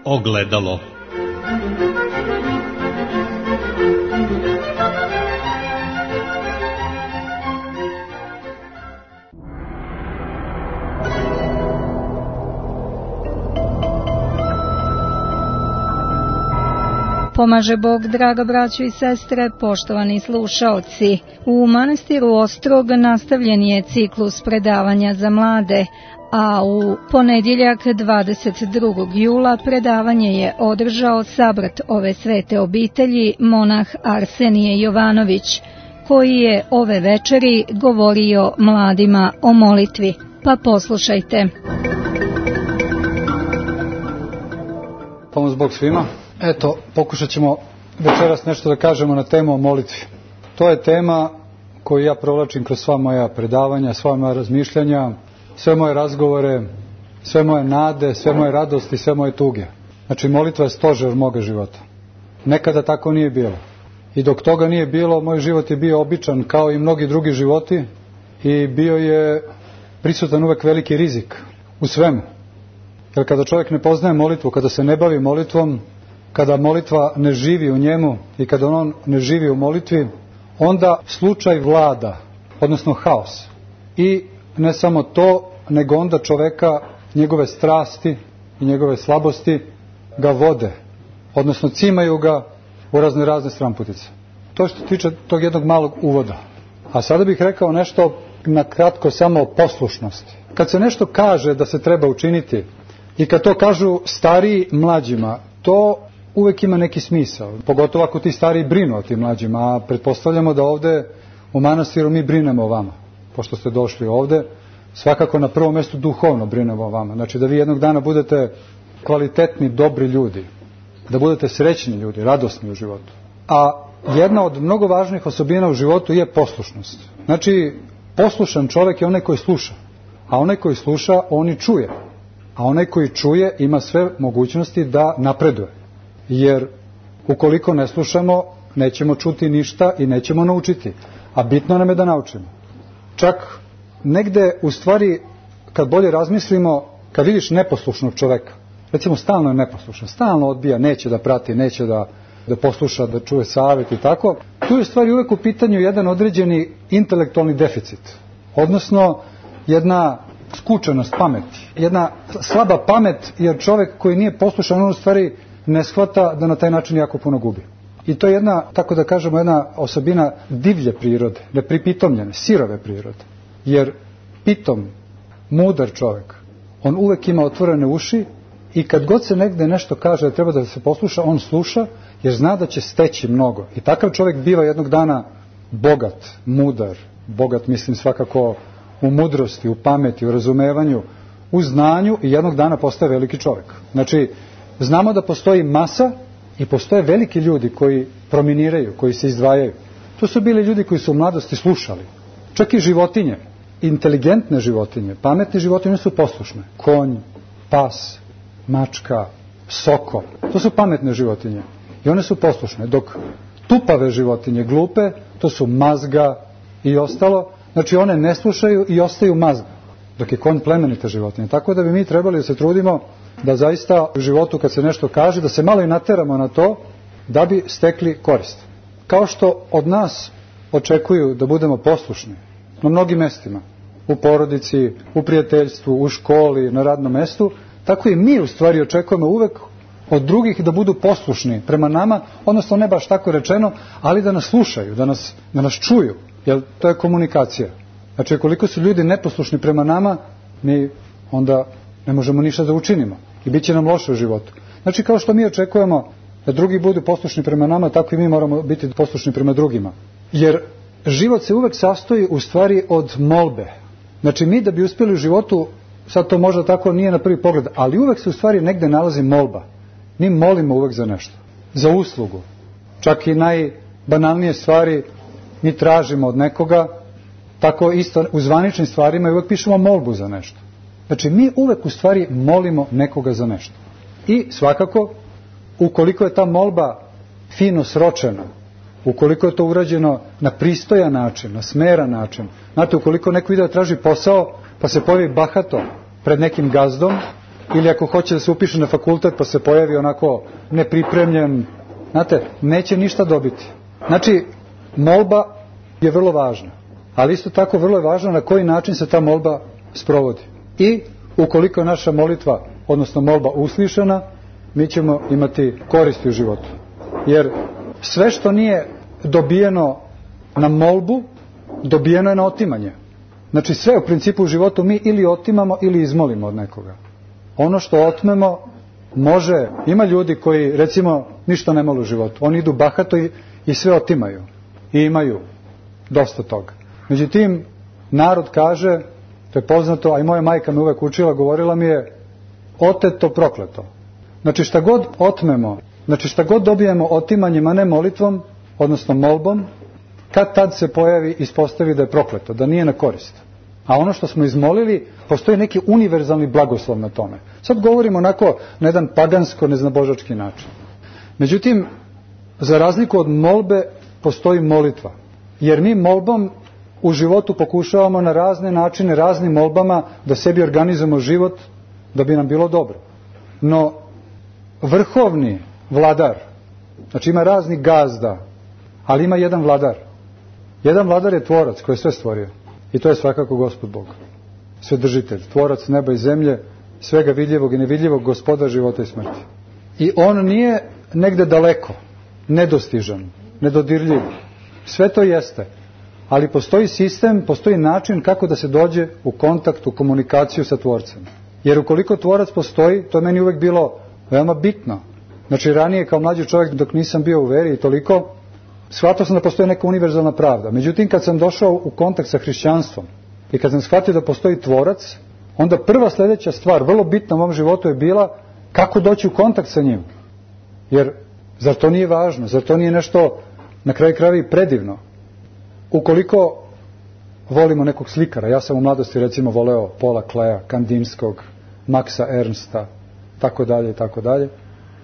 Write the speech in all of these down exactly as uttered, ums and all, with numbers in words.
Ogledalo. Pomaže Bog, draga braćo i sestre, poštovani slušaoci. U manastiru Ostrog nastavljen je ciklus predavanja za mlade, a u ponedjeljak dvadeset drugog jula predavanje je održao sabrat ove svete obitelji, monah Arsenije Jovanović, koji je ove večeri govorio mladima o molitvi. Pa poslušajte. Pomoz Bog svima. Eto, pokušat ćemo večeras nešto da kažemo na temu o molitvi. To je tema koju ja provlačim kroz sva moja predavanja, sva moja razmišljanja, sve moje razgovore, sve moje nade, sve moje radosti, sve moje tuge. Znači, molitva je stožer moga života. Nekada tako nije bilo. I dok toga nije bilo, moj život je bio običan kao i mnogi drugi životi i bio je prisutan uvek veliki rizik u svemu. Jer kada čovjek ne poznaje molitvu, kada se ne bavi molitvom, kada molitva ne živi u njemu i kada on ne živi u molitvi, onda slučaj vlada, odnosno haos. I ne samo to, nego onda čoveka, njegove strasti i njegove slabosti ga vode, odnosno cimaju ga u razne razne stramputice. To što tiče tog jednog malog uvoda. A sada bih rekao nešto na kratko samo o poslušnosti. Kad se nešto kaže da se treba učiniti i kad to kažu stariji mlađima, to uvek ima neki smisao, pogotovo ako ti stariji brinu o tim mlađima, a pretpostavljamo da ovde u manastiru mi brinemo o vama, pošto ste došli ovde, svakako na prvom mjestu duhovno brinemo o vama, znači da vi jednog dana budete kvalitetni, dobri ljudi, da budete srećni ljudi, radosni u životu. A jedna od mnogo važnih osobina u životu je poslušnost. Znači, poslušan čovjek je onaj koji sluša, a onaj koji sluša, on i čuje, a onaj koji čuje ima sve mogućnosti da napreduje. Jer ukoliko ne slušamo, nećemo čuti ništa i nećemo naučiti. A bitno nam je da naučimo. Čak negde, u stvari, kad bolje razmislimo, kad vidiš neposlušnog čoveka, recimo stalno je neposlušan, stalno odbija, neće da prati, neće da, da posluša, da čuje savjet i tako, tu je u stvari uvek u pitanju jedan određeni intelektualni deficit. Odnosno, jedna skučenost pameti. Jedna slaba pamet, jer čovek koji nije poslušan, on u stvari ne shvata da na taj način jako puno gubi. I to je jedna, tako da kažemo, jedna osobina divlje prirode, nepripitomljene, sirove prirode. Jer pitom, mudar čovjek, on uvek ima otvorene uši i kad god se negde nešto kaže da treba da se posluša, on sluša jer zna da će steći mnogo. I takav čovjek biva jednog dana bogat, mudar, bogat mislim svakako u mudrosti, u pameti, u razumevanju, u znanju i jednog dana postaje veliki čovjek. Znači, znamo da postoji masa i postoje veliki ljudi koji prominiraju, koji se izdvajaju. To su bili ljudi koji su u mladosti slušali. Čak i životinje, inteligentne životinje, pametne životinje su poslušne. Konj, pas, mačka, soko, to su pametne životinje. I one su poslušne, dok tupave životinje, glupe, to su mazga i ostalo, znači one ne slušaju i ostaju mazga. Dok je konj plemenita životinja. Tako da bi mi trebali da se trudimo da zaista u životu kad se nešto kaže, da se malo i nateramo na to da bi stekli korist. Kao što od nas očekuju da budemo poslušni na mnogim mestima, u porodici, u prijateljstvu, u školi, na radnom mestu, tako i mi u stvari očekujemo uvek od drugih da budu poslušni prema nama, odnosno ne baš tako rečeno, ali da nas slušaju, da nas, da nas čuju, jer to je komunikacija. Znači, koliko su ljudi neposlušni prema nama, mi onda ne možemo ništa da učinimo i bit će nam loše u životu. Znači, kao što mi očekujemo da drugi budu poslušni prema nama, tako i mi moramo biti poslušni prema drugima. Jer život se uvek sastoji u stvari od molbe. Znači, mi da bi uspjeli u životu, sad to možda tako nije na prvi pogled, ali uvek se u stvari negde nalazi molba. Mi molimo uvek za nešto, za uslugu. Čak i najbanalnije stvari mi tražimo od nekoga, tako isto u zvaničnim stvarima i uvek pišemo molbu za nešto. Znači, mi uvek u stvari molimo nekoga za nešto. I svakako, ukoliko je ta molba fino sročena, ukoliko je to urađeno na pristojan način, na smeran način, znate, ukoliko neko ide da traži posao, pa se pojavi bahato pred nekim gazdom, ili ako hoće da se upiše na fakultet pa se pojavi onako nepripremljen, znate, neće ništa dobiti. Znači, molba je vrlo važna, ali isto tako vrlo je važno na koji način se ta molba sprovodi. I ukoliko je naša molitva, odnosno molba uslišana, mi ćemo imati koristi u životu. Jer sve što nije dobijeno na molbu, dobijeno je na otimanje. Znači sve u principu u životu mi ili otimamo ili izmolimo od nekoga. Ono što otmemo može, ima ljudi koji recimo ništa ne mole u životu. Oni idu bahato i, i sve otimaju. I imaju dosta toga. Međutim, narod kaže, to je poznato, a i moja majka me uvek učila, govorila mi je, oteto prokleto. Znači šta god otmemo, znači šta god dobijemo otimanjem, a ne molitvom, odnosno molbom, kad tad se pojavi, ispostavi da je prokleto, da nije na korist. A ono što smo izmolili, postoji neki univerzalni blagoslov na tome. Sad govorimo onako na jedan pagansko, neznabožački način. Međutim, za razliku od molbe, postoji molitva. Jer mi molbom u životu pokušavamo na razne načine, raznim molbama, da sebi organizujemo život, da bi nam bilo dobro. No, vrhovni vladar, znači ima raznih gazda, ali ima jedan vladar. Jedan vladar je tvorac koji je sve stvorio. I to je svakako Gospod Bog. Svedržitelj, tvorac neba i zemlje, svega vidljivog i nevidljivog, gospodar života i smrti. I on nije negde daleko, nedostižan, nedodirljiv. Sve to jeste. Ali postoji sistem, postoji način kako da se dođe u kontakt, u komunikaciju sa tvorcem. Jer ukoliko tvorac postoji, to je meni uvek bilo veoma bitno. Znači ranije kao mlađi čovjek, dok nisam bio u veri i toliko, shvatio sam da postoji neka univerzalna pravda. Međutim, kad sam došao u kontakt sa hrišćanstvom i kad sam shvatio da postoji tvorac, onda prva sljedeća stvar, vrlo bitna u mom životu je bila kako doći u kontakt sa njim. Jer zar to nije važno? Zar to nije nešto na kraju krajeva i predivno? Ukoliko volimo nekog slikara, ja sam u mladosti recimo voleo Paula Kleja, Kandinskog, Maxa Ernsta, tako dalje i tako dalje.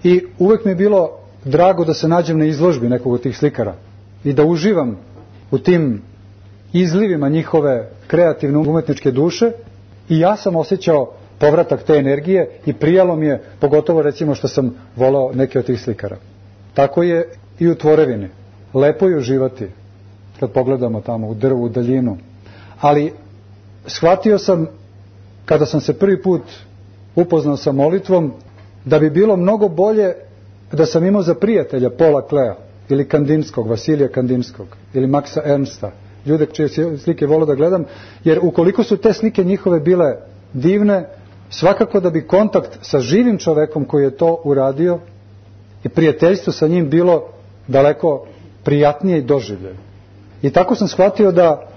I uvek mi je bilo drago da se nađem na izložbi nekog od tih slikara i da uživam u tim izlivima njihove kreativne umetničke duše i ja sam osjećao povratak te energije i prijalo mi je, pogotovo recimo što sam voleo neke od tih slikara. Tako je i u tvorevini. Lepo je uživati kad pogledamo tamo u drvu, u daljinu. Ali shvatio sam, kada sam se prvi put upoznao sa molitvom, da bi bilo mnogo bolje da sam imao za prijatelja Paula Kleja ili Kandinskog, Vasilija Kandinskog ili Maxa Ernsta, ljude čije slike volio da gledam, jer ukoliko su te slike njihove bile divne, svakako da bi kontakt sa živim čovekom koji je to uradio i prijateljstvo sa njim bilo daleko prijatnije i doživlje. I tako sam shvatio da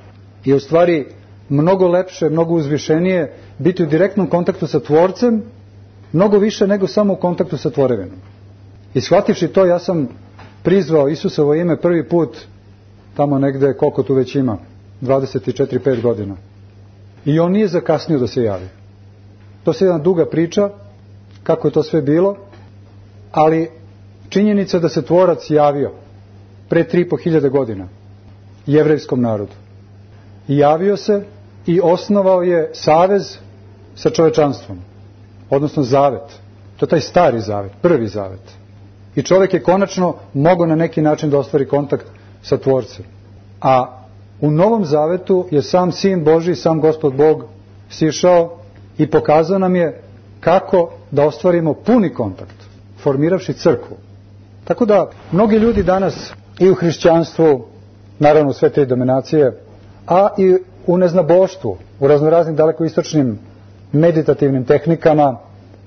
je u stvari mnogo lepše, mnogo uzvišenije biti u direktnom kontaktu sa tvorcem, mnogo više nego samo u kontaktu sa tvorevinom. I shvativši to, ja sam prizvao Isusovo ime prvi put tamo negde, koliko tu već ima, dvadeset četiri pet godina. I on nije zakasnio da se javi. To je jedna duga priča, kako je to sve bilo, ali činjenica da se tvorac javio pre tri i po hiljade godina jevrejskom narodu. I javio se i osnovao je savez sa čovečanstvom, odnosno zavet. To je taj stari zavet, prvi zavet. I čovjek je konačno mogao na neki način da ostvari kontakt sa tvorcem. A u Novom zavetu je sam Sin Božji, sam Gospod Bog sišao i pokazao nam je kako da ostvarimo puni kontakt, formiravši crkvu. Tako da mnogi ljudi danas i u hrišćanstvu, naravno u sve te dominacije, a i u neznaboštvu, u raznoraznim dalekoistočnim meditativnim tehnikama,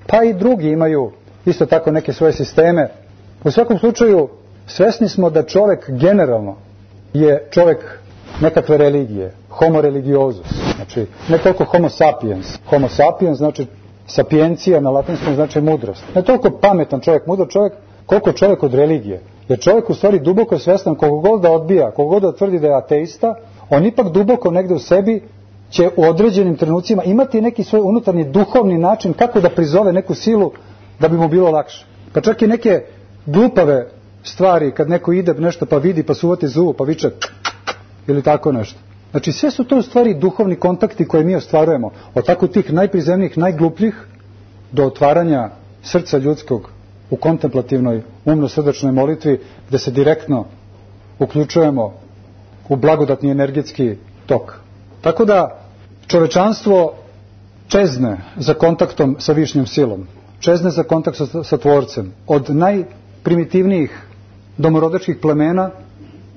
pa i drugi imaju isto tako neke svoje sisteme. U svakom slučaju svesni smo da čovjek generalno je čovjek nekakve religije, homo religiosus, znači ne toliko homo sapiens. Homo sapiens znači sapiencija na latinskom znači mudrost. Ne toliko pametan čovjek, mudar čovjek, koliko čovjek od religije. Jer čovjek u stvari duboko svestan, koliko god da odbija, koliko god da tvrdi da je ateista, on ipak duboko negde u sebi će u određenim trenucima imati neki svoj unutarnji duhovni način kako da prizove neku silu da bi mu bilo lakše. Pa čak i neke glupave stvari, kad neko ide nešto pa vidi pa suvati zubu pa viče ili tako nešto. Znači sve su to u stvari duhovni kontakti koje mi ostvarujemo od tako tih najprizemnijih, najglupljih do otvaranja srca ljudskog u kontemplativnoj umno-srdačnoj molitvi, gde se direktno uključujemo u blagodatni energetski tok. Tako da čovečanstvo čezne za kontaktom sa višnjom silom, čezne za kontakt sa, sa Tvorcem, od najprimitivnijih domorodačkih plemena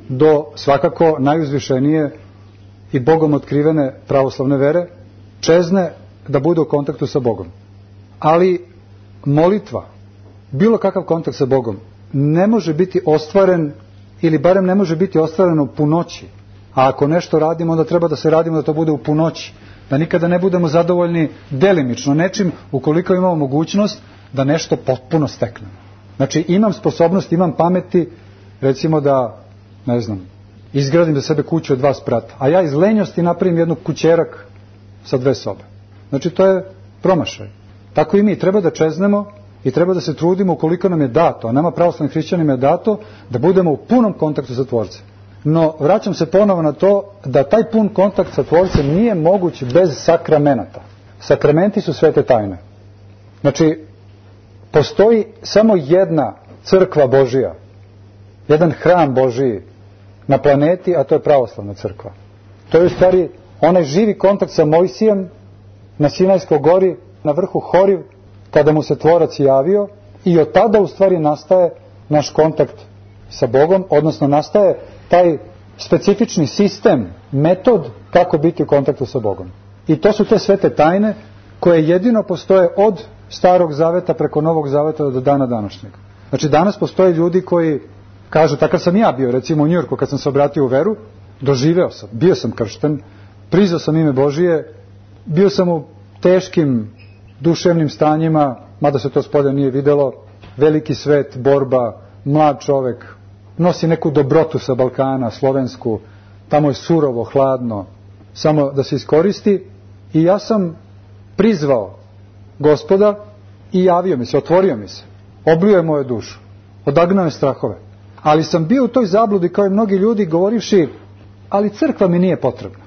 do svakako najuzvišenije i Bogom otkrivene pravoslavne vere, čezne da bude u kontaktu sa Bogom. Ali molitva, bilo kakav kontakt sa Bogom, ne može biti ostvaren, ili barem ne može biti ostvareno u punoći. A ako nešto radimo, onda treba da se radimo da to bude u punoći. Da nikada ne budemo zadovoljni delimično nečim, ukoliko imamo mogućnost da nešto potpuno steknemo. Znači, imam sposobnost, imam pameti, recimo da, ne znam, izgradim za sebe kuću od dva sprata, a ja iz lenjosti napravim jednu kućerak sa dve sobe. Znači, to je promašaj. Tako i mi treba da čeznemo i treba da se trudimo ukoliko nam je dato, a nama pravoslavnim hrišćanima je dato, da budemo u punom kontaktu sa Tvorcem. No, vraćam se ponovo na to da taj pun kontakt sa Tvorcem nije moguć bez sakramenata. Sakramenti su svete tajne. Znači, postoji samo jedna crkva Božija, jedan hram Božiji na planeti, a to je pravoslavna crkva. To je u stvari onaj živi kontakt sa Mojsijem na Sinajskoj gori, na vrhu Horiv, kada mu se Tvorac javio, i od tada u stvari nastaje naš kontakt sa Bogom, odnosno nastaje taj specifični sistem, metod kako biti u kontaktu sa Bogom. I to su te svete tajne koje jedino postoje od Starog zaveta preko Novog zaveta do dana današnjeg. Znači, danas postoje ljudi koji kažu, takav sam ja bio, recimo u Njujorku kad sam se obratio u veru, doživeo sam, bio sam kršten, prizao sam ime Božije, bio sam u teškim duševnim stanjima, mada se to spolja nije videlo, veliki svet, borba, mlad čovek, nosi neku dobrotu sa Balkana, slovensku, tamo je surovo, hladno, samo da se iskoristi, i ja sam prizvao Gospoda i javio mi se, otvorio mi se, oblio je moju dušu, odagnao je strahove. Ali sam bio u toj zabludi kao i mnogi ljudi govorivši, ali crkva mi nije potrebna.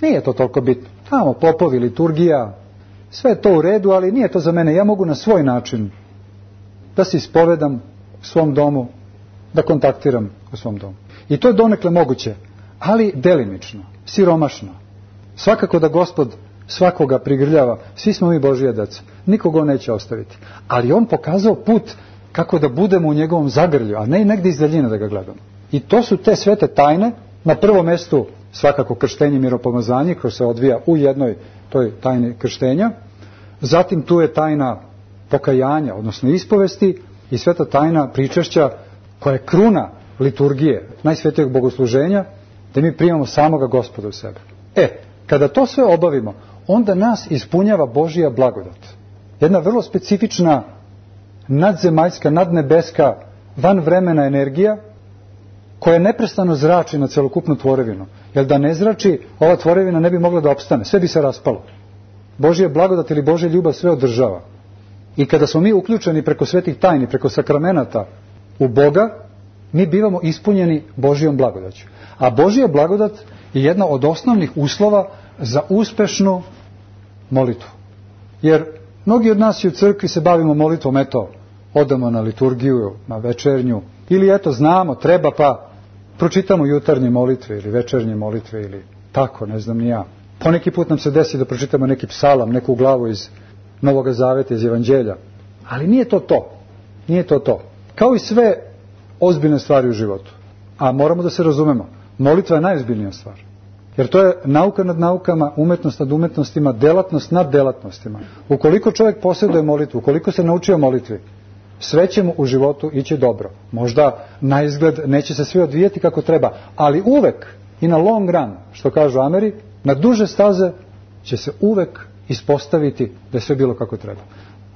Nije to toliko bitno. Tamo popovi, liturgija, sve je to u redu, ali nije to za mene. Ja mogu na svoj način da se ispovedam u svom domu, da kontaktiram u svom domu. I to je donekle moguće, ali delimično, siromašno. Svakako da Gospod svakoga prigrljava, svi smo mi Božija deca, nikoga on neće ostaviti. Ali on pokazao put kako da budemo u njegovom zagrlju, a ne negdje iz daljine da ga gledamo. I to su te svete tajne, na prvom mjestu svakako krštenje i miropomazanje, koje se odvija u jednoj toj tajni krštenja, zatim tu je tajna pokajanja, odnosno ispovesti, i sveta tajna pričešća, koja je kruna liturgije, najsvetijeg bogosluženja, da mi primamo samoga Gospoda u sebe. E, kada to sve obavimo, onda nas ispunjava Božija blagodat. Jedna vrlo specifična, nadzemaljska, nadnebeska, vanvremena energija, koja neprestano zrači na celokupnu tvorevinu. Jer da ne zrači, ova tvorevina ne bi mogla da opstane, sve bi se raspalo. Božija blagodat ili Božja ljubav sve održava. I kada smo mi uključeni preko svetih tajni, preko sakramenata u Boga, mi bivamo ispunjeni Božijom blagodaću. A Božija blagodat je jedna od osnovnih uslova za uspešnu molitvu. Jer mnogi od nas i u crkvi se bavimo molitvom, eto, odamo na liturgiju, na večernju, ili eto, znamo, treba, pa pročitamo jutarnje molitve ili večernje molitve ili tako, ne znam ni ja. Poneki put nam se desi da pročitamo neki psalam, neku glavu iz Novog zaveta, iz Evanđelja. Ali nije to to. Nije to to. Kao i sve ozbiljne stvari u životu. A moramo da se razumemo. Molitva je najozbiljnija stvar. Jer to je nauka nad naukama, umetnost nad umetnostima, delatnost nad delatnostima. Ukoliko čovjek posjeduje molitvu, ukoliko se naučio molitvi, sve će mu u životu ići dobro. Možda na izgled neće se sve odvijeti kako treba, ali uvek i na long run, što kažu Ameri, na duže staze će se uvek ispostaviti da je sve bilo kako treba.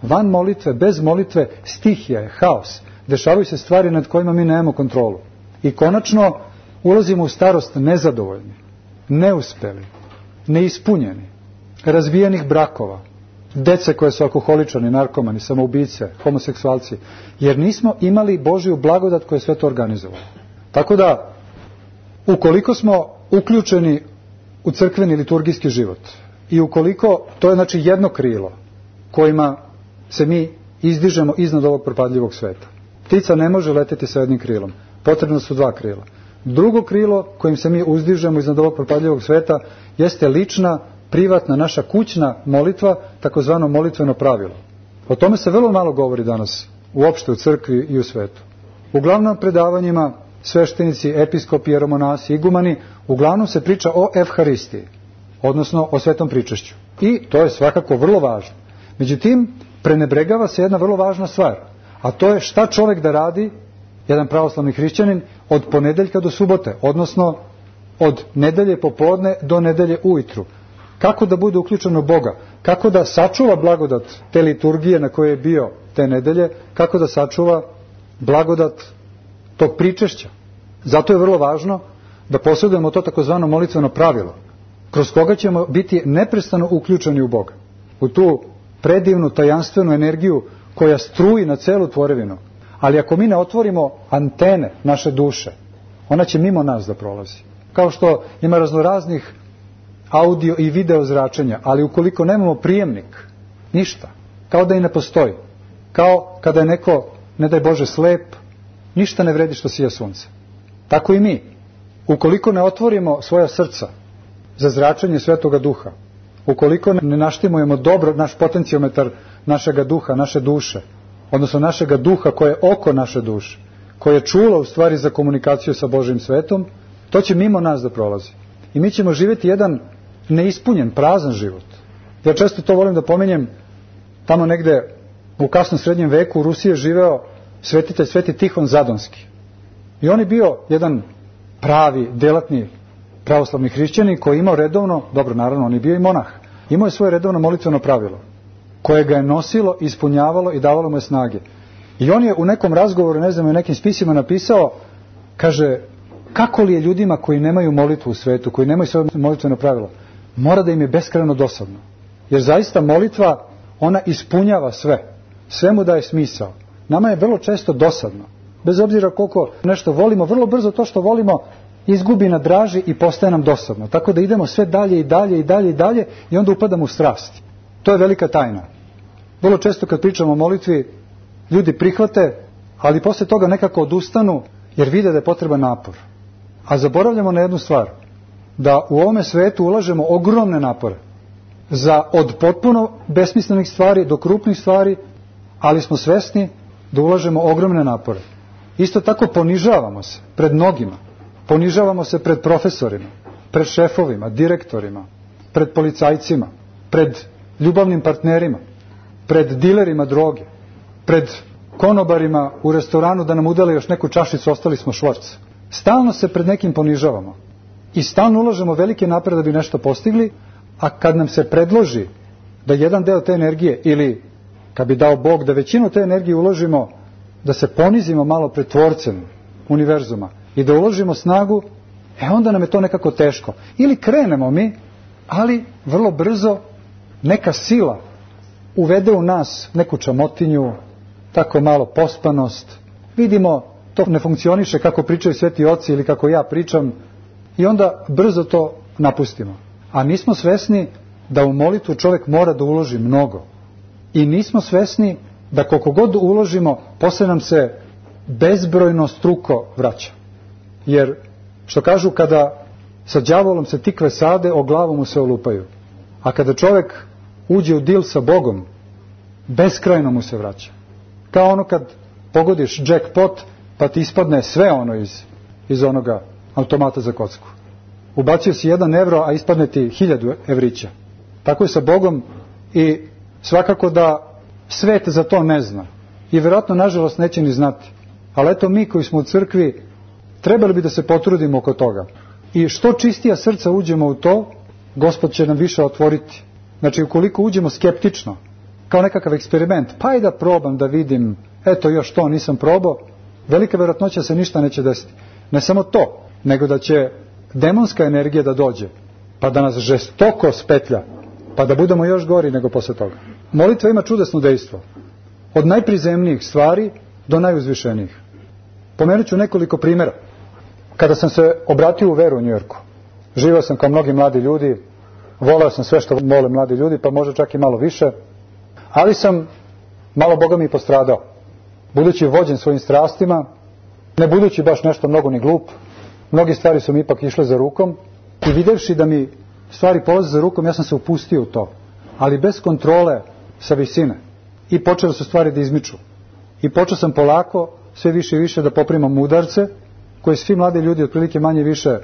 Van molitve, bez molitve, stihija je, haos. Dešavaju se stvari nad kojima mi nemamo kontrolu. I konačno ulazimo u starost nezadovoljni, neuspeli, neispunjeni, razbijenih brakova, dece koje su alkoholičani, narkomani, samoubice, homoseksualci, jer nismo imali Božiju blagodat koja je sve to organizovala. Tako da, ukoliko smo uključeni u crkveni liturgijski život i ukoliko, to je znači jedno krilo kojima se mi izdižemo iznad ovog propadljivog sveta. Ptica ne može leteti sa jednim krilom. Potrebno su dva krila. Drugo krilo kojim se mi uzdižemo iznad ovog propadljivog sveta jeste lična, privatna, naša kućna molitva, takozvano molitveno pravilo. O tome se vrlo malo govori danas, uopšte u crkvi i u svetu. Uglavnom predavanjima sveštenici, episkopi, jeromonasi, igumani, uglavnom se priča o evharistiji, odnosno o svetom pričašću. I to je svakako vrlo važno. Međutim, prenebregava se jedna vrlo važna stvar, a to je šta čovjek da radi, jedan pravoslavni hrišćanin, od ponedeljka do subote, odnosno od nedelje popodne do nedelje ujutru. Kako da bude uključen u Boga, kako da sačuva blagodat te liturgije na kojoj je bio te nedelje, kako da sačuva blagodat tog pričešća. Zato je vrlo važno da posjedujemo to takozvano molitveno pravilo, kroz koga ćemo biti neprestano uključeni u Boga, u tu predivnu, tajanstvenu energiju koja struji na celu tvorevinu. Ali ako mi ne otvorimo antene naše duše, ona će mimo nas da prolazi. Kao što ima raznoraznih audio i video zračenja, ali ukoliko nemamo prijemnik, ništa, kao da i ne postoji. Kao kada je neko, ne daj Bože, slep, ništa ne vredi što sija sunce. Tako i mi. Ukoliko ne otvorimo svoja srca za zračenje Svetoga Duha, ukoliko ne naštimujemo dobro naš potencijometar našega duha, naše duše, odnosno našega duha koje je oko naše duše, koje je čulo u stvari za komunikaciju sa Božim svetom, to će mimo nas da prolazi. I mi ćemo živjeti jedan neispunjen, prazan život. Ja često to volim da pominjem, tamo negde u kasnom srednjem veku u Rusiji je živeo svetitelj Sveti Tihon Zadonski. I on je bio jedan pravi, delatni pravoslavni hrišćanin koji je imao redovno, dobro naravno on je bio i monah, imao je svoje redovno molitveno pravilo koje ga je nosilo, ispunjavalo i davalo mu je snage. I on je u nekom razgovoru, ne znam, u nekim spisima napisao, kaže, kako li je ljudima koji nemaju molitvu u svetu, koji nemaju svoje molitveno pravilo, mora da im je beskrajno dosadno. Jer zaista molitva, ona ispunjava sve. Sve mu daje smisao. Nama je vrlo često dosadno. Bez obzira koliko nešto volimo, vrlo brzo to što volimo izgubi na draži i postaje nam dosadno. Tako da idemo sve dalje i dalje i dalje i dalje i onda upadamo u strasti. To je velika tajna. Vrlo često kad pričamo o molitvi, ljudi prihvate, ali posle toga nekako odustanu jer vide da je potreban napor. A zaboravljamo na jednu stvar, da u ovome svetu ulažemo ogromne napore za od potpuno besmislenih stvari do krupnih stvari, ali smo svesni da ulažemo ogromne napore. Isto tako ponižavamo se pred mnogima, ponižavamo se pred profesorima, pred šefovima, direktorima, pred policajcima, pred ljubavnim partnerima, pred dilerima droge, pred konobarima u restoranu da nam udale još neku čašicu, ostali smo švorc. Stalno se pred nekim ponižavamo i stalno ulažemo velike napore da bi nešto postigli, a kad nam se predloži da jedan deo te energije, ili kad bi dao Bog da većinu te energije uložimo, da se ponizimo malo pred tvorcem univerzuma i da uložimo snagu, e onda nam je to nekako teško. Ili krenemo mi, ali vrlo brzo neka sila uvede u nas neku čamotinju, tako malo pospanost, vidimo to ne funkcioniše kako pričaju sveti oci ili kako ja pričam i onda brzo to napustimo. A nismo svesni da u molitvu čovjek mora da uloži mnogo. I nismo svesni da koliko god uložimo, posle nam se bezbrojno struko vraća. Jer, što kažu, kada sa đavolom se tikve sade, o glavu mu se olupaju. A kada čovjek uđe u dil sa Bogom, beskrajno mu se vraća. Kao ono kad pogodiš jackpot, pa ti ispadne sve ono iz, iz onoga automata za kocku. Ubacio si jedan evro, a ispadne ti hiljadu evrića. Tako je sa Bogom i svakako da svet za to ne zna. I vjerojatno, nažalost, neće ni znati. Ali eto, mi koji smo u crkvi, trebali bi da se potrudimo oko toga. I što čistija srca uđemo u to, Gospod će nam više otvoriti. Znači, ukoliko uđemo skeptično, kao nekakav eksperiment, pa i da probam, da vidim, eto još to nisam probao, velika vjerojatnoća se ništa neće desiti. Ne samo to, nego da će demonska energija da dođe, pa da nas žestoko spetlja, pa da budemo još gori nego posle toga. Molitva ima čudesno dejstvo. Od najprizemnijih stvari do najuzvišenijih. Pomenut ću nekoliko primjera. Kada sam se obratio u veru u Njujorku, živio sam kao mnogi mladi ljudi, voleo sam sve što vole mladi ljudi, pa možda čak i malo više, ali sam malo Boga mi i postradao. Budući vođen svojim strastima, ne budući baš nešto mnogo ni glup, mnogi stvari su mi ipak išle za rukom i videvši da mi stvari polaze za rukom, ja sam se upustio u to, ali bez kontrole sa visine. I počele su stvari da izmiču. I počeo sam polako, sve više i više da poprimam udarce, koje svi mladi ljudi otprilike manje više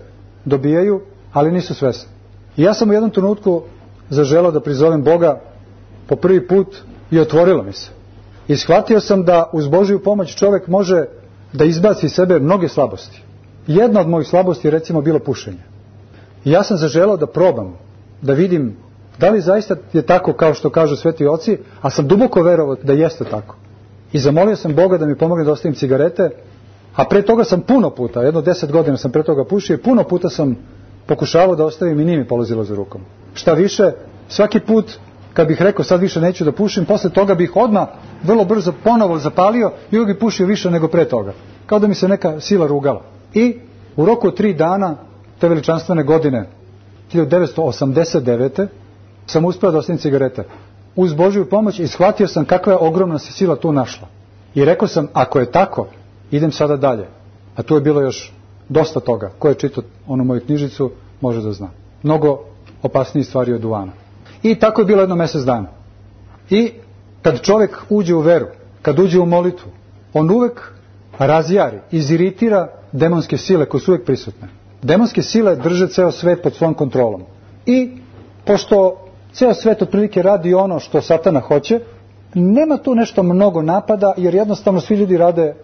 dobijaju, ali nisu svesni. I ja sam u jednom trenutku zaželao da prizovem Boga po prvi put i otvorilo mi se. I shvatio sam da uz Božju pomoć čovjek može da izbaci iz sebe mnoge slabosti. Jedna od mojih slabosti je recimo bilo pušenje. I ja sam zaželao da probam, da vidim da li zaista je tako kao što kažu sveti oci, a sam duboko verovao da jeste tako. I zamolio sam Boga da mi pomogne da ostavim cigarete, a pre toga sam puno puta, jedno deset godina sam pre toga pušio i puno puta sam pokušavao da ostavim i nije mi polazilo za rukom. Šta više, svaki put kad bih rekao sad više neću da pušim, posle toga bih odmah vrlo brzo ponovo zapalio i uvijek bih pušio više nego pre toga. Kao da mi se neka sila rugala. I u roku od tri dana, te veličanstvene godine, hiljadu devetsto osamdeset devete sam uspeo da ostavim cigarete. Uz Božju pomoć i shvatio sam kakva je ogromna se sila tu našla. I rekao sam, ako je tako, idem sada dalje. A tu je bilo još dosta toga. Ko je čitao onu moju knjižicu, može da zna. Mnogo opasnije stvari od duvana. I tako je bilo jedno mjesec dana. I kad čovjek uđe u veru, kad uđe u molitvu, on uvek razjari, iziritira demonske sile koje su uvek prisutne. Demonske sile drže ceo svet pod svojom kontrolom. I pošto ceo svet otprilike radi ono što Satana hoće, nema tu nešto mnogo napada, jer jednostavno svi ljudi rade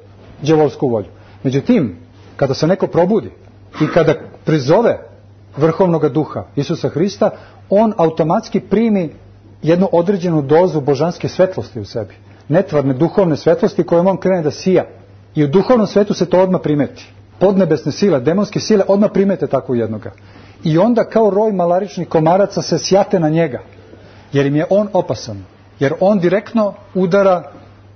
đavolsku volju. Međutim, kada se neko probudi i kada prizove vrhovnog duha Isusa Hrista, on automatski primi jednu određenu dozu božanske svetlosti u sebi. Netvarne duhovne svetlosti kojom on krene da sija. I u duhovnom svetu se to odmah primeti. Podnebesne sile, demonske sile odmah primete tako jednoga. I onda kao roj malaričnih komaraca se sjate na njega. Jer im je on opasan. Jer on direktno udara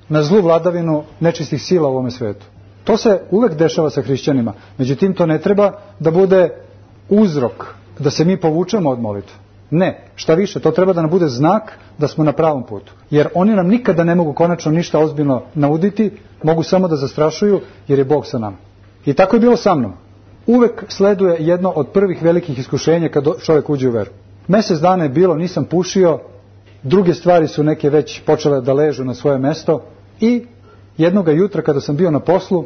na zlu vladavinu nečistih sila u ovome svetu. To se uvek dešava sa hrišćanima. Međutim, to ne treba da bude uzrok da se mi povučemo od molitve. Ne, šta više, to treba da nam bude znak da smo na pravom putu. Jer oni nam nikada ne mogu konačno ništa ozbiljno nauditi, mogu samo da zastrašuju jer je Bog sa nama. I tako je bilo sa mnom. Uvek sleduje jedno od prvih velikih iskušenja kad čovjek uđe u veru. Mjesec dana je bilo, nisam pušio, druge stvari su neke već počele da ležu na svoje mesto i jednoga jutra kada sam bio na poslu,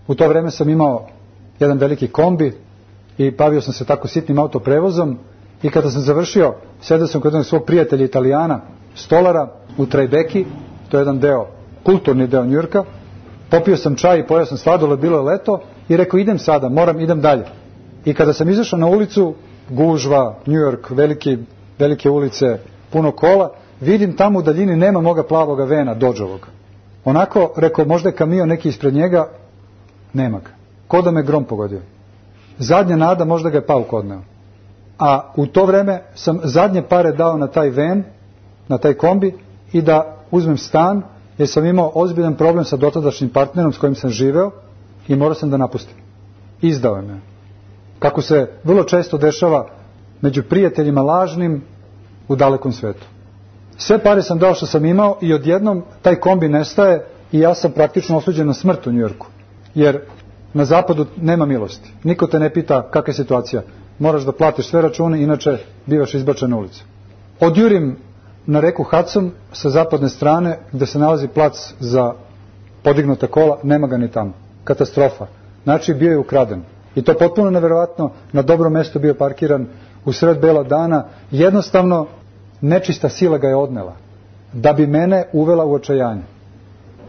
u to vreme sam imao jedan veliki kombi i bavio sam se tako sitnim autoprevozom i kada sam završio, sedeo sam kod jednog svog prijatelja Italijana, stolara u Trajbeki, to je jedan deo, kulturni deo Njujorka, popio sam čaj i pojeo sam sladoled, bilo je leto i rekao idem sada, moram, idem dalje. I kada sam izašao na ulicu, gužva, Njujork, veliki, velike ulice, puno kola, vidim tamo u daljini nema moga plavoga vena, Dodžovog. Onako, rekao, možda je kamion neki ispred njega, nema ga. Ko da me grom pogodio. Zadnja nada, možda ga je pauk odneo. A u to vreme sam zadnje pare dao na taj ven, na taj kombi i da uzmem stan, jer sam imao ozbiljan problem sa dotadašnjim partnerom s kojim sam živeo i morao sam da napustim. Izdao je me. Kako se vrlo često dešava među prijateljima lažnim u dalekom svetu. Sve pare sam dao što sam imao i odjednom taj kombi nestaje i ja sam praktično osuđen na smrt u Njujorku. Jer na zapadu nema milosti. Niko te ne pita kakva je situacija. Moraš da platiš sve račune, inače bivaš izbačen na ulicu. Odjurim na reku Hudson sa zapadne strane gde se nalazi plac za podignuta kola, nema ga ni tamo. Katastrofa. Znači bio je ukraden. I to potpuno neverovatno, na dobrom mjestu bio parkiran u sred bela dana, jednostavno nečista sila ga je odnela, da bi mene uvela u očajanje.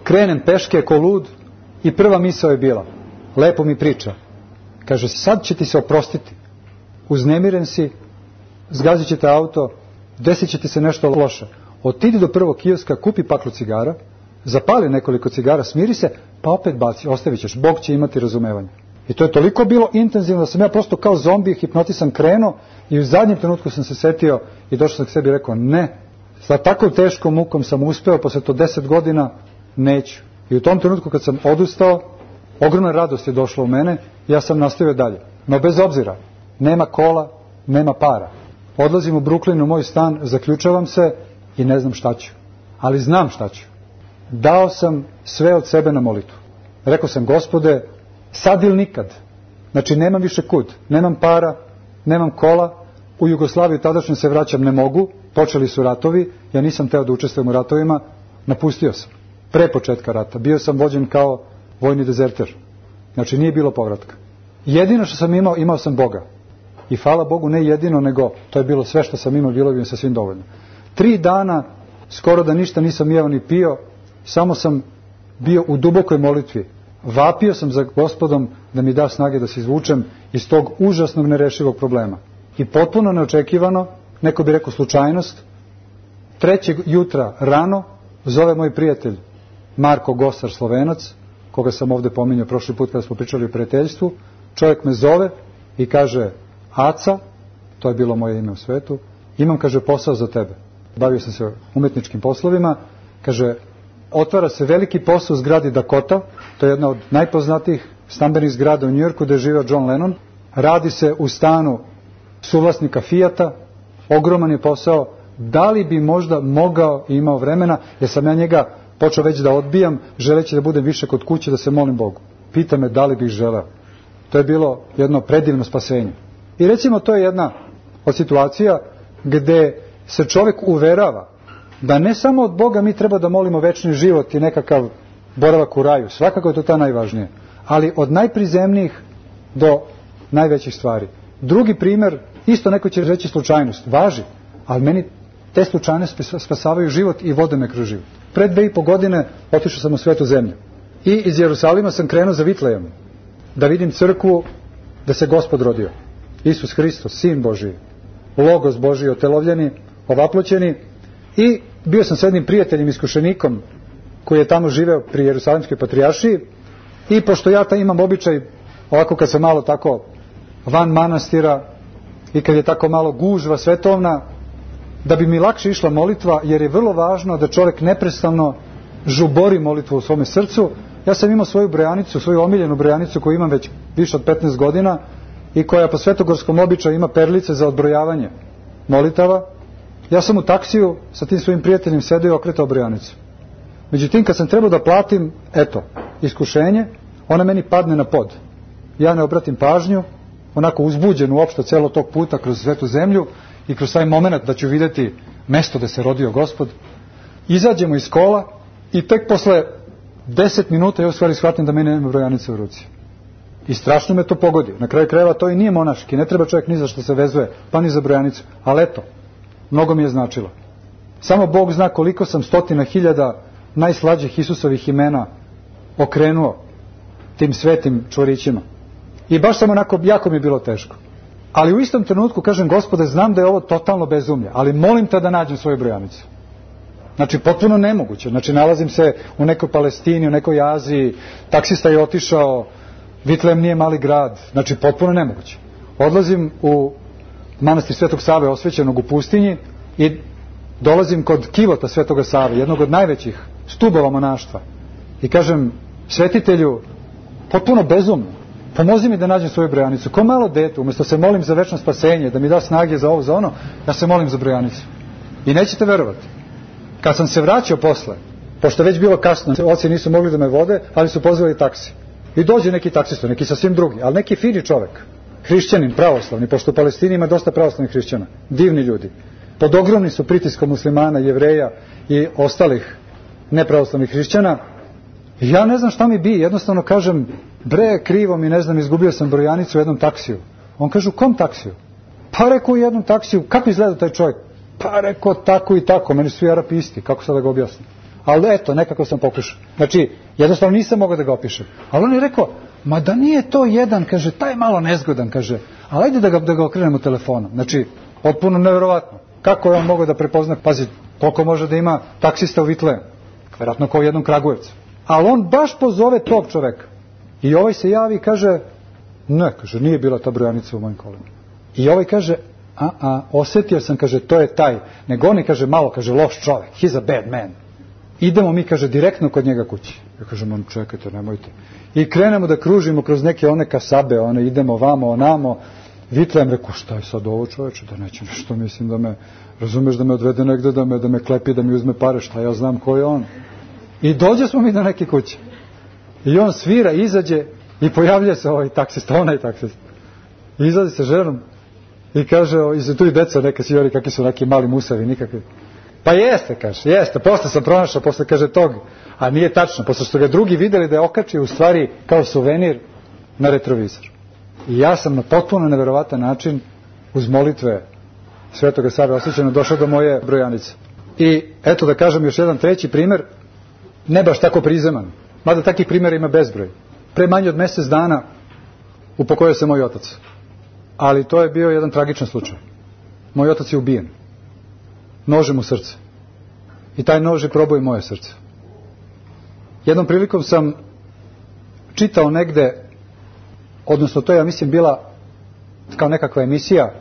Krenem peške ko lud i prva misao je bila, lepo mi priča, kaže, sad će ti se oprostiti, uznemiren si, zgazit će te auto, desit će ti se nešto loše, otidi do prvog kioska, kupi paklu cigara, zapali nekoliko cigara, smiri se, pa opet baci, ostavit ćeš, Bog će imati razumevanje. I to je toliko bilo intenzivno da sam ja prosto kao zombi hipnotisan krenuo i u zadnjem trenutku sam se setio i došao sam k sebi i rekao ne, sa tako teškom mukom sam uspeo, posle to deset godina neću. I u tom trenutku kad sam odustao, ogromna radost je došla u mene, ja sam nastavio dalje. No bez obzira, nema kola, nema para. Odlazim u Brooklyn u moj stan, zaključavam se i ne znam šta ću. Ali znam šta ću. dao sam sve od sebe na molitvu. Rekao sam, Gospode, sad ili nikad. Znači, nemam više kud, nemam para, nemam kola, u Jugoslaviju tadašnje se vraćam ne mogu, počeli su ratovi, ja nisam teo da učestvujem u ratovima, napustio sam. Pre početka rata, bio sam vođen kao vojni dezerter. Znači, nije bilo povratka. Jedino što sam imao, imao sam Boga. I hvala Bogu, ne jedino, nego to je bilo sve što sam imao, bilo bi mi sasvim dovoljno. Tri dana, skoro da ništa nisam jeo ni pio, samo sam bio u dubokoj molitvi. Vapio sam za Gospodom da mi da snage da se izvučem iz tog užasnog nerešivog problema. I potpuno neočekivano, neko bi rekao slučajnost, trećeg jutra rano zove moj prijatelj Marko Gosar, Slovenac, koga sam ovde pominjao prošli put kada smo pričali o prijateljstvu. Čovjek me zove i kaže, Aca, to je bilo moje ime u svetu, imam, kaže, posao za tebe. Bavio sam se umetničkim poslovima, kaže, otvara se veliki posao u zgradi Dakota, to je jedna od najpoznatijih stambenih zgrada u Njujorku gde je živeo John Lennon. Radi se u stanu suvlasnika Fijata, ogroman je posao, da li bi možda mogao i imao vremena, jer sam ja njega počeo već da odbijam, želeći da budem više kod kuće, da se molim Bogu. Pita me da li bih želeo. To je bilo jedno predivno spasenje. I recimo to je jedna od situacija gde se čovjek uverava da ne samo od Boga mi treba da molimo večni život i nekakav boravak u raju, svakako je to ta najvažnije, ali od najprizemnijih do najvećih stvari. Drugi primjer, isto neko će reći slučajnost, važi, ali meni te slučajnosti spasavaju život i vode me kroz život. Pred dve i po godine otišao sam u svetu zemlju i iz Jerusalima sam krenuo za Vitlejem da vidim crkvu da se Gospod rodio. Isus Hristos, Sin Božiji, Logos Božiji, otelovljeni, ovaploćeni, i bio sam s jednim prijateljem iskušenikom koji je tamo živeo pri Jerusalimskoj patrijaršiji, i pošto ja ta imam običaj, ovako kad sam malo tako van manastira i kad je tako malo gužva svetovna, da bi mi lakše išla molitva, jer je vrlo važno da čovjek neprestano žubori molitvu u svome srcu. Ja sam imao svoju brojanicu, svoju omiljenu brojanicu koju imam već više od petnaest godina i koja po svetogorskom običaju ima perlice za odbrojavanje molitava. Ja sam u taksiju sa tim svojim prijateljem sedeo i okretao brojanicu. Međutim, kad sam trebao da platim, eto, iskušenje, ona meni padne na pod. Ja ne obratim pažnju, onako uzbuđen uopšte celo tog puta kroz svetu zemlju i kroz taj moment da ću vidjeti mesto gde se rodio Gospod. Izađemo iz kola i tek posle deset minuta ja u stvari shvatim da meni nema brojanice u ruci. I strašno me to pogodi. Na kraju krajeva to i nije monaški, ne treba čovjek ni za što se vezuje, pa ni za brojanicu. Ali eto, mnogo mi je značilo. Samo Bog zna koliko sam stotina hiljada najslađih Isusovih imena okrenuo tim svetim čvorićima. I baš sam onako, jako mi je bilo teško. Ali u istom trenutku kažem, Gospode, znam da je ovo totalno bezumlje, ali molim te da nađem svoju brojanicu. Znači, potpuno nemoguće. Znači, nalazim se u nekoj Palestini, u nekoj Aziji, taksista je otišao, Vitlejem nije mali grad, znači, potpuno nemoguće. Odlazim u manastir Svetog Save, osvećenog u pustinji, i dolazim kod kivota Svetoga Save, jednog od najvećih stubova monaštva. I kažem, svetitelju, potpuno bezumno, pomozi mi da nađem svoju brojanicu. Ko malo dete, umjesto se molim za večno spasenje, da mi da snage za ovo, za ono, ja se molim za brojanicu. I nećete verovati. Kad sam se vraćao posle, pošto već bilo kasno, oci nisu mogli da me vode, ali su pozvali taksi. I dođe neki taksista, neki sasvim drugi, ali neki fini čovek, hrišćanin, pravoslavni, pošto u Palestini ima dosta pravoslavnih hrišćana, divni ljudi. Pod ogromnim su pritiskom muslimana, jevreja i ostalih nepravoslavnih hrišćana. I ja ne znam šta mi bi, jednostavno kažem, bre, krivo mi, ne znam, izgubio sam brojanicu u jednom taksiju. On kaže, u kom taksiju? Pa rekao, u jednom taksiju. Kako izgleda taj čovjek? Pa rekao, tako i tako, meni su svi Arapi isti, kako sad da ga objasnim? Ali eto, nekako sam pokušao. Znači, jednostavno nisam mogao da ga opišem. Ali on je rekao, ma da nije to jedan, kaže, taj malo nezgodan, kaže, ali ajde da ga, da ga okrenemo telefonom. Znači, potpuno nevjerovatno. Kako je on mogao da prepozna, pazi, koliko može da ima taksista u Vitlejem? Vjerojatno kao u jednom Kragujevcu. Ali on baš pozove tog čoveka. I ovaj se javi i kaže, ne, kaže, nije bila ta brojanica u mojim kolima. I ovaj kaže, a, a, osjetio sam, kaže, to je taj. Nego oni, kaže, malo, kaže, loš čovek, he's a bad man. Idemo mi, kaže, direktno kod njega kući. Ja kažem, on, čekajte, nemojte. I krenemo da kružimo kroz neke one kasabe, one, idemo vamo, onamo. Vitlejem, rekao, šta je sad ovo, čoveče, da neće nešto, mislim da me, razumeš, da me odvede negde, da me, da me klepi, da mi uzme pare, šta ja znam ko je on. I dođe smo mi do neke kuće. I on svira, izađe i pojavljuje se ovaj taksista, onaj taksista. I izlazi sa ženom i kaže, i tu i deca neka svi kakvi su neki mali musavi, nikakvi. Pa jeste, kaže, jeste, posle sam pronašao, posle kaže tog, a nije tačno, posle što ga drugi videli da je okačio u stvari kao suvenir na retrovizor. I ja sam na potpuno neverovatan način uz molitve Svetoga Save Osvećena došao do moje brojanice. I eto da kažem još jedan treći primer, ne baš tako prizeman, mada takih primjera ima bezbroj. Pre manje od mjesec dana upokojio se moj otac. Ali to je bio jedan tragičan slučaj. Moj otac je ubijen. Nožem u srce. I taj nož je probao i moje srce. Jednom prilikom sam čitao negde, odnosno to je, ja mislim, bila kao nekakva emisija,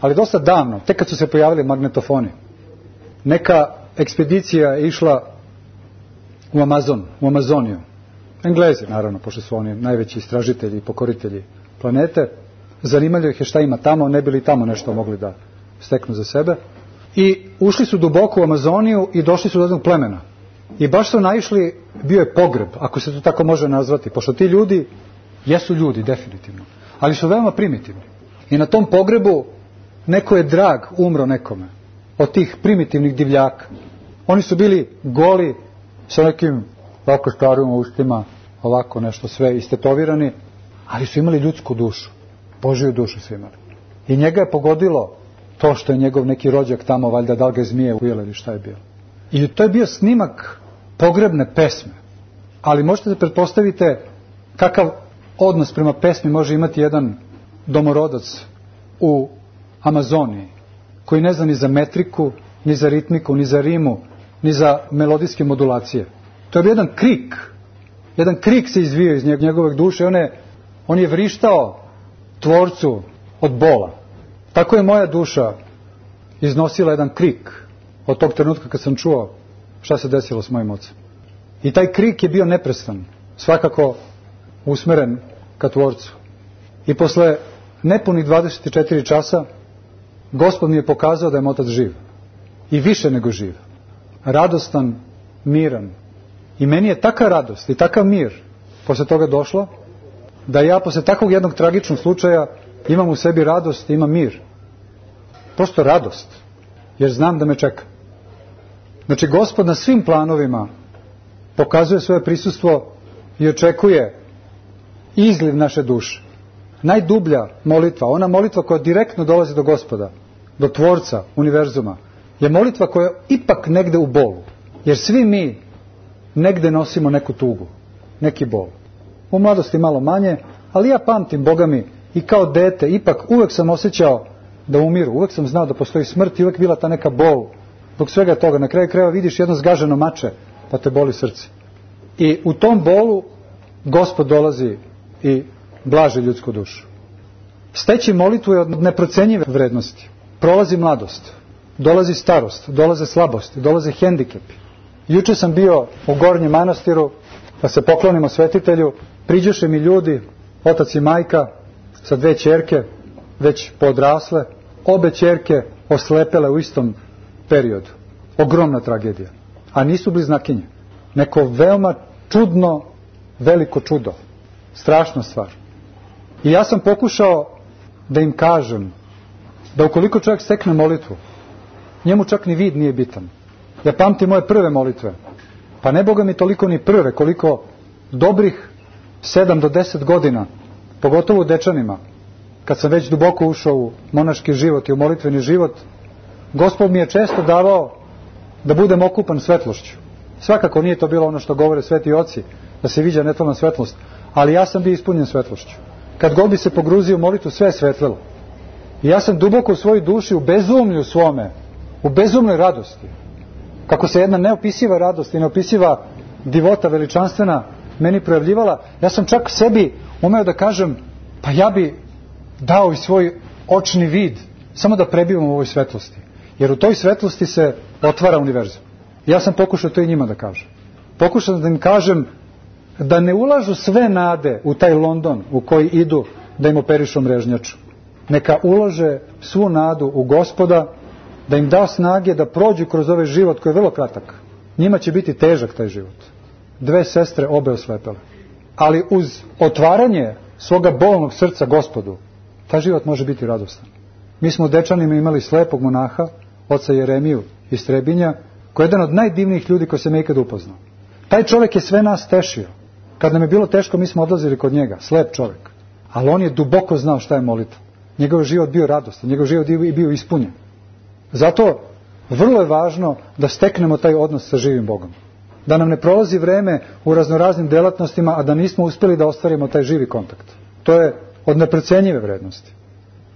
ali dosta davno, tek kad su se pojavili magnetofoni. Neka ekspedicija je išla u Amazon, u Amazoniju. Englezi, naravno, pošto su oni najveći istražitelji i pokoritelji planete. Zanimalo ih je šta ima tamo, ne bi li tamo nešto mogli da steknu za sebe. I ušli su duboko u Amazoniju i došli su do jednog plemena. I baš su naišli, bio je pogreb, ako se to tako može nazvati, pošto ti ljudi jesu ljudi, definitivno, ali su veoma primitivni. I na tom pogrebu neko je drag umro nekome od tih primitivnih divljaka. Oni su bili goli, sa nekim ovako starim ustima, ovako nešto sve istetovirani, ali su imali ljudsku dušu, Božiju dušu su imali. I njega je pogodilo to što je njegov neki rođak tamo, valjda da li ga je zmije ujela ili šta je bilo. I to je bio snimak pogrebne pesme. Ali možete da pretpostavite kakav odnos prema pesmi može imati jedan domorodac u Amazoniji, koji ne zna ni za metriku, ni za ritmiku, ni za rimu, ni za melodijske modulacije. To je bio jedan krik. Jedan krik se izvio iz njegove duše. On je, on je vrištao tvorcu od bola. Tako je moja duša iznosila jedan krik od tog trenutka kad sam čuo šta se desilo s mojim ocem. I taj krik je bio neprestan, svakako usmeren ka tvorcu. I posle nepunih dvadeset četiri časa Gospod mi je pokazao da je moj otac živ. I više nego živ. Radostan, miran. I meni je taka radost i takav mir posle toga došlo, da ja posle takvog jednog tragičnog slučaja imam u sebi radost i imam mir. Prosto radost. Jer znam da me čeka. Znači, Gospod na svim planovima pokazuje svoje prisustvo i očekuje izliv naše duše. Najdublja molitva, ona molitva koja direktno dolazi do Gospoda, do Tvorca univerzuma, je molitva koja je ipak negde u bolu. Jer svi mi negde nosimo neku tugu, neki bol. U mladosti malo manje, ali ja pamtim, Boga mi, i kao dete, ipak uvek sam osjećao da umiru, uvek sam znao da postoji smrt i uvek bila ta neka bol. Dok svega toga, na kraju krajeva vidiš jedno zgaženo mače, pa te boli srce. I u tom bolu Gospod dolazi i blaži ljudsku dušu. Steći molitvu je od neprocenjive vrednosti. Prolazi mladost, dolazi starost, dolaze slabosti, dolaze hendikepi. Juče sam bio u Gornjem manastiru, da se poklonimo svetitelju, priđoše mi ljudi, otac i majka, sa dve ćerke, već podrasle, obe ćerke oslepele u istom periodu. Ogromna tragedija. A nisu bliznakinje. Neko veoma čudno, veliko čudo. Strašna stvar. I ja sam pokušao da im kažem da ukoliko čovjek stekne molitvu, njemu čak ni vid nije bitan. Ja pamtim moje prve molitve. Pa ne Boga mi toliko ni prve, koliko dobrih sedam do deset godina, pogotovo u Dečanima, kad sam već duboko ušao u monaški život i u molitveni život, Gospod mi je često davao da budem okupan svetlošću. Svakako nije to bilo ono što govore sveti oci, da se viđa netovna svetlost, ali ja sam bio ispunjen svetlošću. Kad god bi se pogruzio u molitvu, sve je svetlilo. I ja sam duboko u svojoj duši, u bezumlju svome, u bezumnoj radosti, kako se jedna neopisiva radost i neopisiva divota veličanstvena meni projavljivala, ja sam čak sebi umeo da kažem, pa ja bi dao i svoj očni vid, samo da prebivam u ovoj svetlosti. Jer u toj svetlosti se otvara univerzum. Ja sam pokušao to i njima da kažem. Pokušao da im kažem da ne ulažu sve nade u taj London u koji idu da im operišu mrežnjaču. Neka ulože svu nadu u Gospoda, da im da snage da prođu kroz ovaj život koji je vrlo kratak. njima će biti težak taj život. Dve sestre, obe oslepele. Ali uz otvaranje svoga bolnog srca Gospodu, taj život može biti radostan. Mi smo u Dečanima imali slepog monaha, oca Jeremiju iz Trebinja, koji je jedan od najdivnijih ljudi koji se me ikad upoznao. Taj čovjek je sve nas tešio. Kad nam je bilo teško, mi smo odlazili kod njega, slep čovjek. Ali on je duboko znao šta je molitva. Njegov život bio radostan, njegov život je bio ispunjen. Zato vrlo je važno da steknemo taj odnos sa živim Bogom. Da nam ne prolazi vreme u raznoraznim delatnostima, a da nismo uspjeli da ostvarimo taj živi kontakt. To je od neprocenjive vrednosti.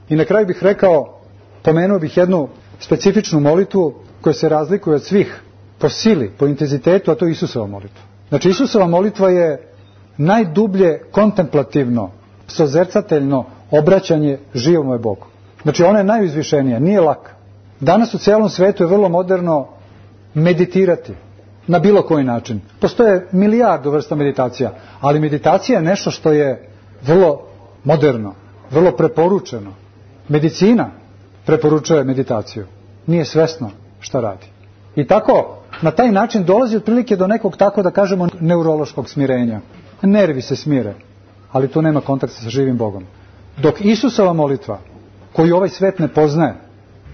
I na kraju bih rekao, pomenuo bih jednu specifičnu molitvu koja se razlikuje od svih po sili, po intenzitetu, a to je Isusova molitva. Znači, Isusova molitva je najdublje kontemplativno, sozercateljno obraćanje živome Bogu. Znači, ona je najuzvišenija, nije laka. Danas u cijelom svetu je vrlo moderno meditirati na bilo koji način. Postoje milijardu vrsta meditacija, ali meditacija je nešto što je vrlo moderno, vrlo preporučeno. Medicina preporučuje meditaciju. Nije svesno šta radi. I tako, na taj način dolazi otprilike do nekog, tako da kažemo, neurološkog smirenja. Nervi se smire, ali tu nema kontakta sa živim Bogom. Dok Isusova molitva, koju ovaj svet ne poznaje,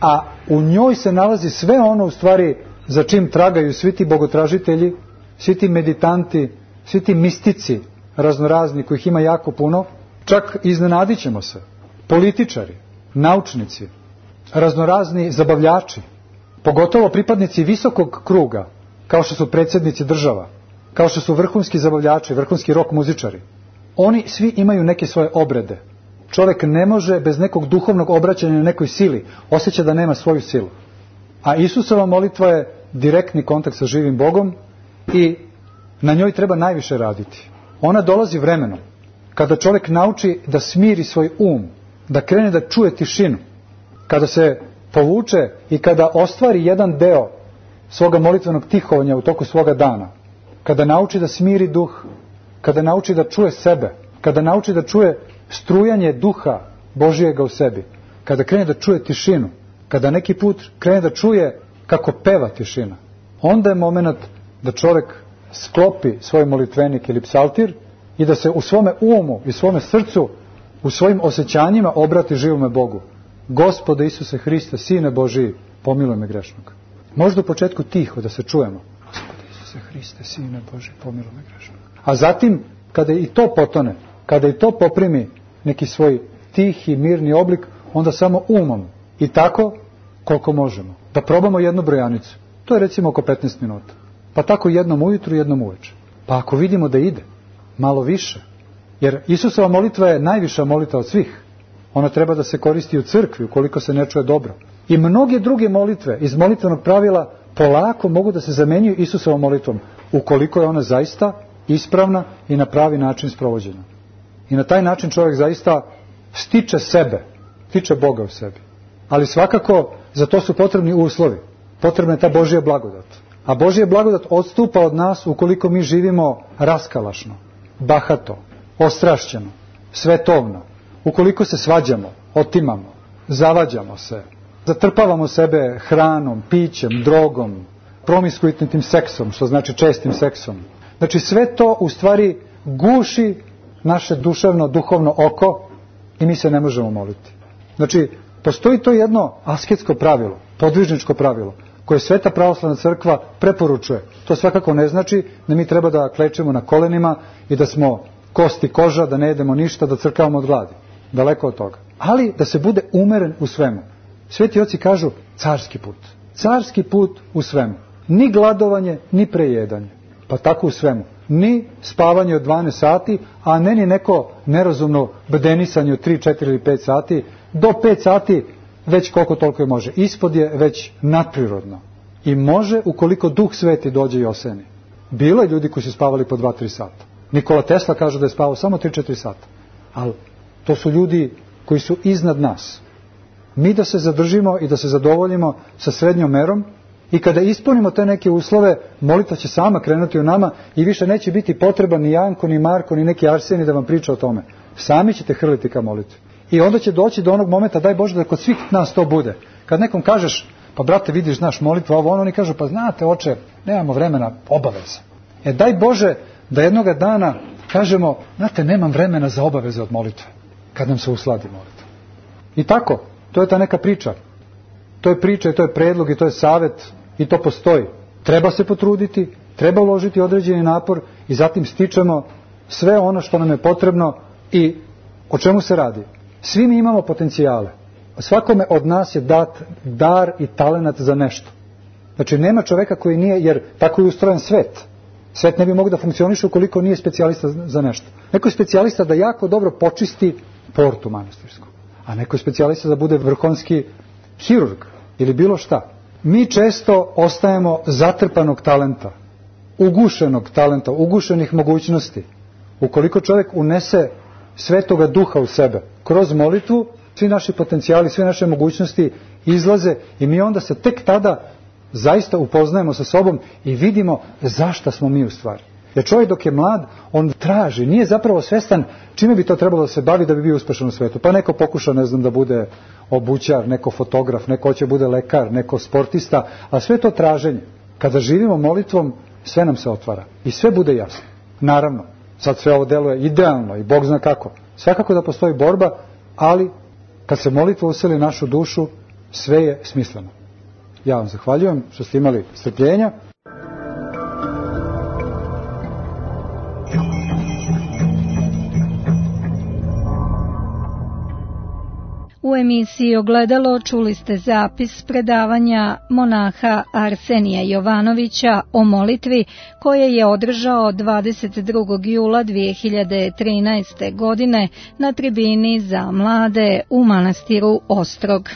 a u njoj se nalazi sve ono u stvari za čim tragaju svi ti bogotražitelji, svi ti meditanti, svi ti mistici raznorazni, kojih ima jako puno, čak iznenadit ćemo se. Političari, naučnici, raznorazni zabavljači, pogotovo pripadnici visokog kruga, kao što su predsjednici država, kao što su vrhunski zabavljači, vrhunski rock muzičari. Oni svi imaju neke svoje obrede. Čovjek ne može bez nekog duhovnog obraćanja na nekoj sili, osjeća da nema svoju silu. A Isusova molitva je direktni kontakt sa živim Bogom i na njoj treba najviše raditi. Ona dolazi vremenom, kada čovjek nauči da smiri svoj um, da krene da čuje tišinu, kada se povuče i kada ostvari jedan deo svoga molitvenog tihovanja u toku svoga dana, kada nauči da smiri duh, kada nauči da čuje sebe, kada nauči da čuje strujanje duha Božijega u sebi, kada krene da čuje tišinu, kada neki put krene da čuje kako peva tišina, onda je moment da čovjek sklopi svoj molitvenik ili psaltir i da se u svome umu i svome srcu, u svojim osjećanjima obrati živome Bogu. Gospode Isuse Hriste, Sine Božiji, pomiluj me grešnog. Možda u početku tiho da se čujemo. Gospode Isuse Hriste, Sine Božiji, pomiluj me grešnog. A zatim, kada i to potone, kada i to poprimi neki svoj tihi, mirni oblik, onda samo umom. I tako koliko možemo. Da probamo jednu brojanicu. To je recimo oko petnaest minuta. Pa tako jednom ujutru, jednom uveče. Pa ako vidimo da ide, malo više. Jer Isusova molitva je najviša molitva od svih. Ona treba da se koristi u crkvi, ukoliko se ne čuje dobro. I mnoge druge molitve iz molitvenog pravila polako mogu da se zamenjuju Isusovom molitvom, ukoliko je ona zaista ispravna i na pravi način sprovođena. I na taj način čovjek zaista stiče sebe, stiče Boga u sebi. Ali svakako za to su potrebni uslovi. Potrebna je ta Božja blagodat. A Božja blagodat odstupa od nas ukoliko mi živimo raskalašno, bahato, ostrašćeno, svetovno. Ukoliko se svađamo, otimamo, zavađamo se, zatrpavamo sebe hranom, pićem, drogom, promiskuitnim seksom, što znači čestim seksom. Znači sve to u stvari guši naše duševno, duhovno oko i mi se ne možemo moliti. Znači, postoji to jedno asketsko pravilo, podvižničko pravilo, koje Sveta pravoslavna crkva preporučuje. To svakako ne znači da mi treba da klečemo na kolenima i da smo kosti koža, da ne jedemo ništa, da crkavamo od gladi. Daleko od toga. Ali da se bude umeren u svemu. Sveti oci kažu carski put. Carski put u svemu. Ni gladovanje, ni prejedanje. Pa tako u svemu. Ni spavanje od dvanaest sati, a ne ni neko nerazumno bdenisanje od tri, četiri ili pet sati. Do pet sati već koliko toliko je može. Ispod je već nadprirodno. I može ukoliko Duh Sveti dođe i oseni. Bilo je ljudi koji su spavali po dva, tri sata. Nikola Tesla kaže da je spavao samo tri, četiri sata. Ali to su ljudi koji su iznad nas. Mi da se zadržimo i da se zadovoljimo sa srednjom merom i kada ispunimo te neke uslove, molitva će sama krenuti u nama i više neće biti potreba ni Janko, ni Marko, ni neki Arsenij da vam priča o tome. Sami ćete hrliti ka molitvi. I onda će doći do onog momenta, daj Bože da kod svih nas to bude. Kad nekom kažeš, pa brate vidiš, znaš, molitva, ovo ono, oni kažu, pa znate oče, nemamo vremena, obaveza. E daj Bože da jednoga dana kažemo, znate, nemam vremena za obaveze od molitve, kad nam se usladi molitva. I tako, to je ta neka priča. To je priča i to je predlog i to je savjet i to postoji. Treba se potruditi, treba uložiti određeni napor i zatim stičemo sve ono što nam je potrebno. I o čemu se radi? Svi mi imamo potencijale. Svakome od nas je dat dar i talenat za nešto. Znači nema čoveka koji nije, jer tako je ustrojen svet. Svet ne bi mogao da funkcioniše ukoliko nije specijalista za nešto. Neko je specijalista da jako dobro počisti portu manastirsku, a neko je specijalista da bude vrhunski hirurg ili bilo šta. Mi često ostajemo zatrpanog talenta, ugušenog talenta, ugušenih mogućnosti. Ukoliko čovjek unese Svetoga Duha u sebe, kroz molitvu, svi naši potencijali, sve naše mogućnosti izlaze i mi onda se tek tada zaista upoznajemo sa sobom i vidimo zašta smo mi u stvari. Jer čovjek dok je mlad, on traži, nije zapravo svestan čime bi to trebalo da se bavi da bi bio uspešan u svetu. Pa neko pokuša, ne znam, da bude obućar, neko fotograf, neko hoće bude lekar, neko sportista, a sve to traženje. Kada živimo molitvom, sve nam se otvara i sve bude jasno. Naravno, sad sve ovo deluje idealno i Bog zna kako. Svakako da postoji borba, ali kad se molitva useli našu dušu, sve je smisleno. Ja vam zahvaljujem što ste imali strpljenja. U emisiji Ogledalo čuli ste zapis predavanja monaha Arsenija Jovanovića o molitvi koje je održao dvadeset drugog jula dve hiljade trinaeste. godine na tribini za mlade u manastiru Ostrog.